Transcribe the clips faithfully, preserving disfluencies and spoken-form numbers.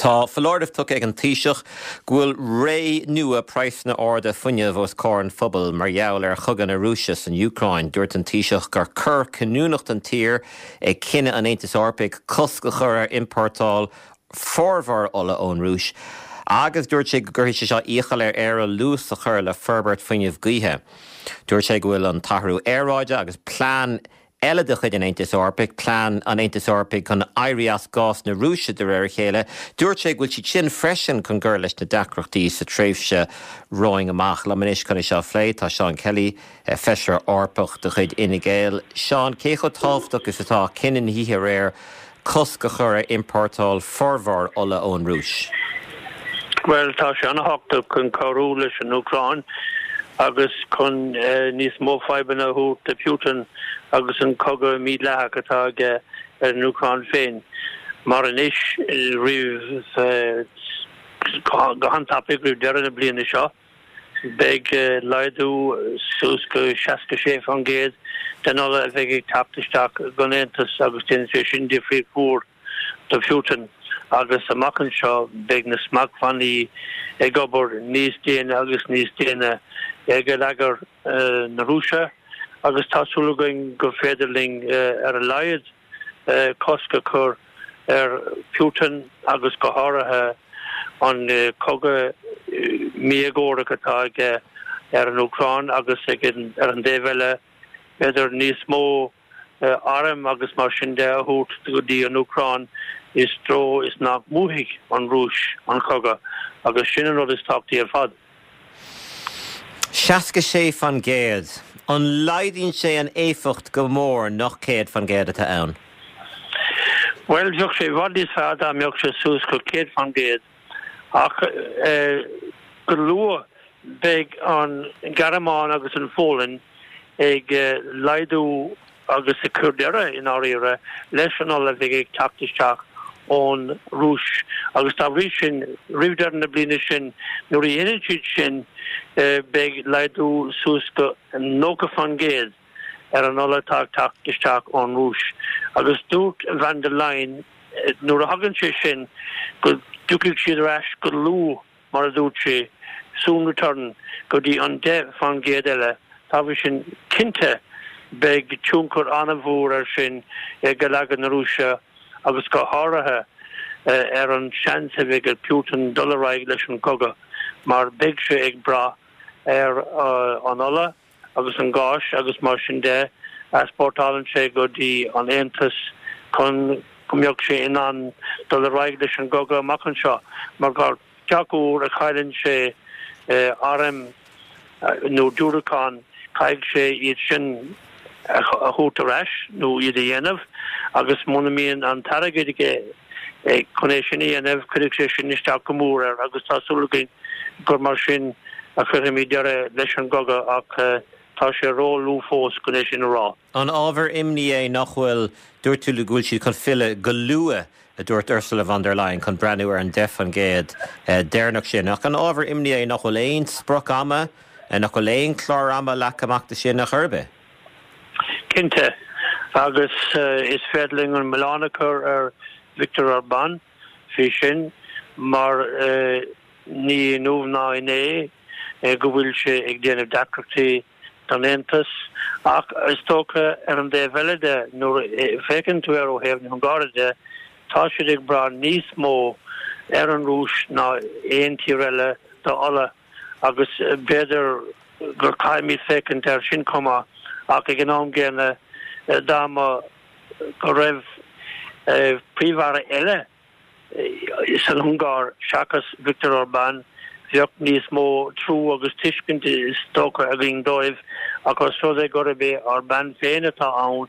Tá foláireamh tugtha ag an Taoiseach go bhfuil ré nua praghsanna arda fuinnimh os comhair an phobail mar gheall ar chogadh na Rúise san Úcráin. Dúirt an Taoiseach gur cor cinniúnach don tír é cinneadh an Aontais Eorpaigh cosc a chur ar iompórtáil formhór ola ón Rúis. Agus dúirt sé go gcuirfidh sé seo iachall ar Éire luas a chur le forbairt fuinneamh gaoithe. Dúirt sé go bhfuil an t-athrú aeráide agus plean eile de chuid an Aontais Eorpaigh, plean an Aontais Eorpaigh chun éirí as gás na Rúise de réir a chéile, dúirt sé go bhfuil siad sin freisin chun cur leis na deacrachtaí sa tréimhse romhainn amach. Liom anois chun é seo a phlé tá Seán Kelly, feisire Eorpach de chuid Fhine Gael. Seán, cé chomh tábhachtach is atá cinneadh na hoíche aréir cosc a chur ar iompórtáil formhór ola ón Rúis? Well tá sé an-tábhachtach chun cabhrú leis an Úcráin agus chun níos mó fadhbanna a thabhairt do Putin agus an cogadh mídhleathach atá aige ar an Úcráin féin. Mar anois roimh go han-tapaidh roimh deireadh na bliana seo, beidh laghdú suas go seasca sé faoin gcéad den ola a bheidh ag teacht isteach don Aontas agus déanfaidh sé sin difríocht mhór do Putin agus amach anseo beidh na smachtbhannaí ag obair níos déine agus níos déine ar gheilleagar na Rúise agus tá súil againn gur féidir linn ar a laghad cosc a chur ar Putin agus go háirithe an cogadh míéagórach atá aige ar an Úcráin agus ag ar an dtaobh eile b'fhéidir níos mó arm agus mar sin de a thabhairt go dtí an Úcráin i dtreo is nach mbuafaidh an Rúis an cogadh agus sin an rud is tábhachtaí ar fad. Seasca sé faoin gcéad. An laghdaíonn sé an éifeacht go mór nach céad faoin gcéad atá ann? Well bheadh sé i bhfad níos fearr dá mbeadh sé suas go céad faoin gcéad ach go luath beidh an Ghearmáin agus an Pholainn ag laghdú agus ag cur deireadh i ndáiríre leis an ola a bheidh ag teacht isteach ón Rúis agus dá bhrí sin roimh deireadh na bliana sin nuair a dhéanann siad sin beidh laghdú suas go nócha faoin gcéad ar an ola atá ag teacht isteach ón Rúis. Agus dúirt van der Leyen nuair a thagann sé sin go dtiocfaidh siad ar ais go luath mar a dúirt sé, soon return go dtí an deich faoin gcéad eile. Dá bhrí sin cinnte beidh tionchar an-mhór air sin ar gheilleagar na Rúise agus go háirithe ar an seans a bheidh ag Putin dul ar aghaidh leis an gcogadh mar beidh sé ag brath ar an ola agus an gás agus mar sin de a easpórtálann sé go dtí an Aontas chun go mbeadh sé in ann dul ar aghaidh leis an gcogadh amach anseo mar gach uair a chailleann sé airm nó diúracáin caithfidh sé iad sin a thabhairt ar ais nó iad a dhéanamh agus muna mbíonn an t-airgead aige chun é sin a dhéanamh cuirfidh sé sin isteach go mór air agus tá súil againn gur mar sin a chuirfimid deireadh leis an gcogadh ach tá sé ró-luath fós chun é sin a rá. An ábhar imní é nach bhfuil dúirt tú go bhfuil siad chun filleadh go luath a dúirt Ursula von der Leyen chun breathnú ar an deich faoin gcéad deireanach sin. Ach an ábhar imní é nach bhfuil aon sprioc ama nach bhfuil aon chlár ama leagtha amach de sin ar chor ar bith. Cinnte agus is féidir linn an milleán a chur ar Viktor Orbán faoi sin mar ní inniu ná inné go bhfuil sé ag déanamh deacrachtaí don Aontas ach is dócha ar an dtaobh eile de nuair a fhéachann tú air ó thaobh na hUngáire de tá siad ag brath níos mó ar an Rúis ná aon tír eile do ola agus b'fhéidir gur caithfimid féachaint air sin chomh maith ach ag an am gcéanna dá mba go raibh príomh-aire eile san Ungáir seachas Viktor Orbán bheadh níos mó trua agus tuiscint is dócha againn dóibh ach os rud é gurb é Orbán féin atá ann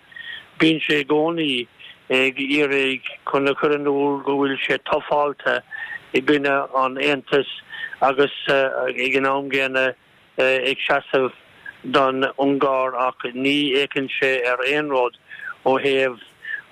bíonn sé i gcónaí ag iarraidh chun a chur in iúl go bhfuil sé tufáilte i gcoinne an Aontais agus ag an am gcéanna ag seasamh don Ungáir ach ní fhéachann sé ar aon rud ó thaobh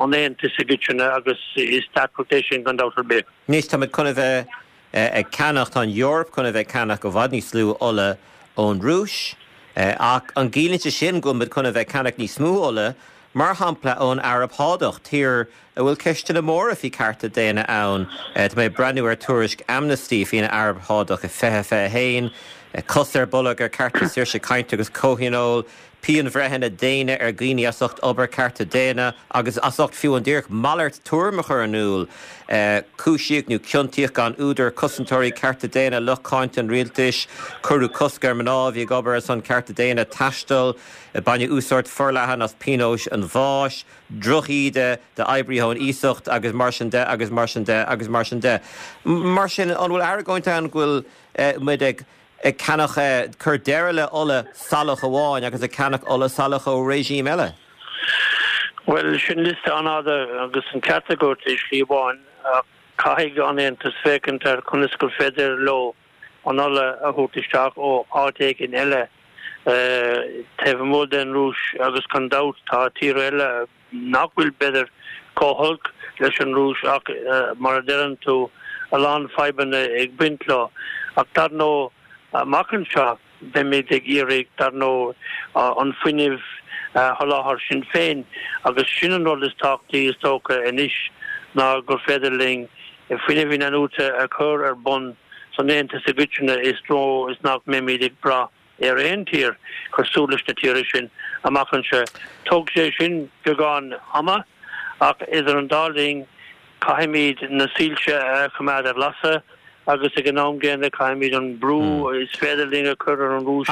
an Aontais i gcoitinne agus is deacracht é sin gan dabht ar bith. Anois táimid chun a bheith ag ceannach, tá an Eoraip chun a bheith ag ceannach i bhfad níos lú ola ón Rúis, ach an gciallaíonn sé sin go bhfuil muid chun a bheith ag ceannach níos mó ola Mar shampla ón Araib Shádach, tír a bhfuil ceisteanna móra faoi cearta daonna ann. Tá mé ag breathnú ar tuairisc Amnesty faoin Araib Shádach i fiche fiche haon, cos ar bolg ar cearta saoirse cainte agus comhthionóil, pianbhreitheanna déine ar dhaoine as ucht obair cearta daonna agus as ucht fiú an díreach malairt tuairime a chur in iúl. Cúisíodh nó ciontaíodh gan údar cosantóirí cearta daonna, lucht cáinte an rialtais, cuireadh cosc ar mná a bhí ag obair ar son cearta daonna taisteal, baineadh úsáid forleathan as pionóis an bháis, drochíde d'oibrithe ón iasacht agus mar sin de agus mar sin de agus mar sin de. Mar sin, an bhfuil argóint ann go bhfuil muid ag ag ceannach, cur deireadh le ola salach amháin agus ag ceannach ola salach ó regime eile? Bhuel, sin liosta an-fhada agus an ceart agat i slí amháin, ach caithfidh an Aontas féachaint ar conas gur féidir leo an ola a thabhairt isteach ó áit éigin eile taobh amuigh den Rúis agus gan dabht tá tíortha eile nach bhfuil b'fhéidir chomh holc leis an Rúis ach mar a deireann tú a lán fadhbanna ag baint leo. Ach dar ndóigh amach anseo beimid ag iarraidh dar ndóigh an fuinneamh a sholáthar sinn féin agus sin an rud is tábhachtaí is dócha anois ná gur féidir linn fuinneamh inathnuaite a chur ar bun san Aontas i gcoitinne i dtreo is nach mbeimid ag brath ar aon tír cosúil leis na tíortha sin amach anseo. Tógfaidh sé sin beagán ama ach idir an dá linn caithfimid na soilse a choimeád ar lasadh agus ag an am gcéanna caithfimid an brú is féidir linn a chur ar an Rúis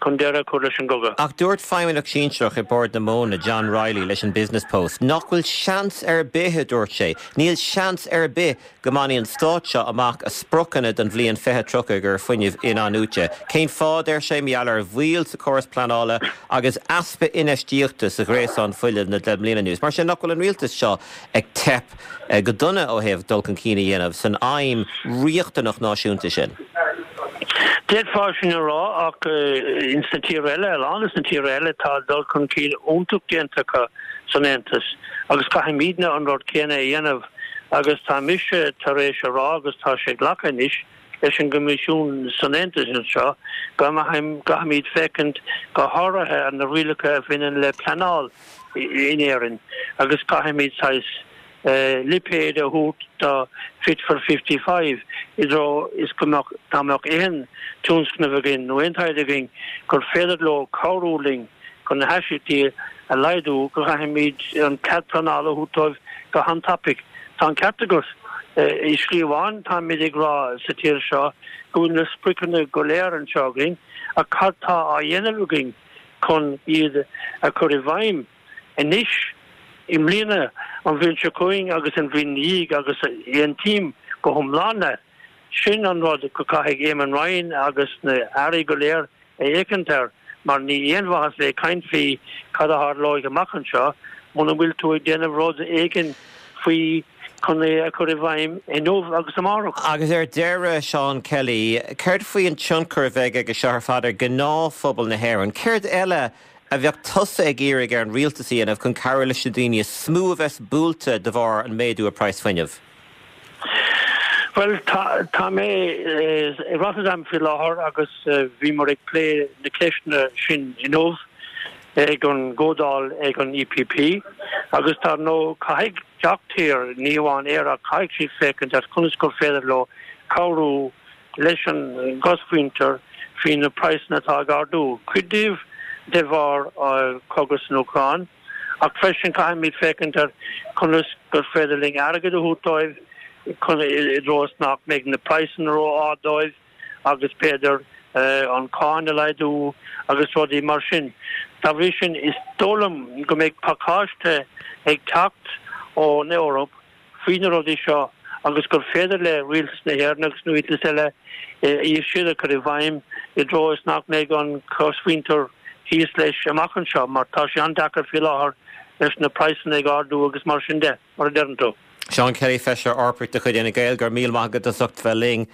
chun deireadh a chur leis an gcogadh. Ach dúirt feidhmeannach sinsearach i Bord na Móna, John Reilly, leis an Business Post nach bhfuil seans ar bith, a dúirt sé, níl seans ar bith go mbainfidh an stát seo amach a spriocanna don bhliain fiche tríocha ar fuinneamh inathnuaite. Cén fáth, deir sé, mar gheall ar mhoill sa chóras pleanála agus easpa infheistíochta sa ghréasán fuinnimh le deich mbliana anuas. Mar sin, nach bhfuil an rialtas seo ag teip go dona ó thaobh dul chun cinn a dhéanamh san aidhm riachtanach náisiúnta sin? D'fhéadfá sin a rá ach ins na tíortha eile, a lán des na tíortha eile, tá dul chun cinn iontach déanta acu san Aontas agus caithfimidne an rud céanna a dhéanamh agus tá mise tar éis a rá agus tá sé glactha anois leis an gCoimisiún san Aontas anseo go gcaithfimid féachaint go háirithe ar na rialacha a bhaineann le pleanáil in Éirinn agus caithfimid saghas lipéad a thabhairt do Fit for fifty five i dtreo is go mbeadh, dá mbeadh aon tionscnamh againn nó aon taighde againn gur féidir leo cabhrú linn chun na hastaíochtaí a laghdú, go gcaithfimid an cead pleanála a thabhairt dóibh go han-tapaidh. Tá an ceart agat. I slí amháin, táimid ag rá sa tír seo go bhfuil na spriocanna go léir anseo againn, ach cad tá á dhéanamh againn chun iad a chur i bhfeidhm anois, i mbliana, an bhliain seo chugainn agus an bhliain ina dhiaidh agus aontaím go hiomlán leat, sin an rud go gcaithfidh Eamon Ryan agus na hairí go léir a fhéachaint air mar ní aon mhaitheas bheith ag caint faoi cad a tharlóidh amach anseo muna bhfuil tú ag déanamh rud éigin faoi chun é a chur i bhfeidhm inniu agus amárach. Agus ar deireadh, Seán Kelly, céard faoi an tionchar a bheidh aige seo ar fad ar ghnáthphobal na hÉireann? Céard eile a bheadh tusa ag iarraidh ar an rialtas a dhéanamh chun cabhrú leis na daoine is mó a bheas buailte de bharr an méadú ar praghas fuinnimh? Bhuel, tá, tá mé i Rotterdam faoi láthair agus bhíomar ag plé na ceisteanna sin inniu ag an gcomhdháil ag an EPP agus dar ndóigh caithfidh gach tír, ní amháin Éire, ach caithfidh siad féachaint ar conas gur féidir leo cabhrú leis an gcosmhuintir faoi na praghsanna atá ag ardú, cuid díobh de bharr cogadh san Úcráin. Ach freisin caithfimid féachaint ar conas gur féidir linn airgead a thabhairt dóibh chun i dtreo is nach mbeidh na praghsanna ró-ard dóibh agus b'fhéidir an cáin a laghdú agus rudaí mar sin. Dá bhrí sin is dóigh liom go mbeidh pacáiste ag teacht ón Eoraip faoi na rudaí seo agus gur féidir le Rialtas na hÉireann agus na rialtais eile iad siúd a chur i bhfeidhm i dtreo is nach mbeidh an chosmhuintir thíos leis amach anseo mar tá sé an-deacair faoi láthair leis na praghsanna ag ardú agus mar sin de, mar a deireann tú. Seán Kelly, Feisire Eorpach de chuid Fhine Gael, go raibh míle maith agat as ucht bheith linn.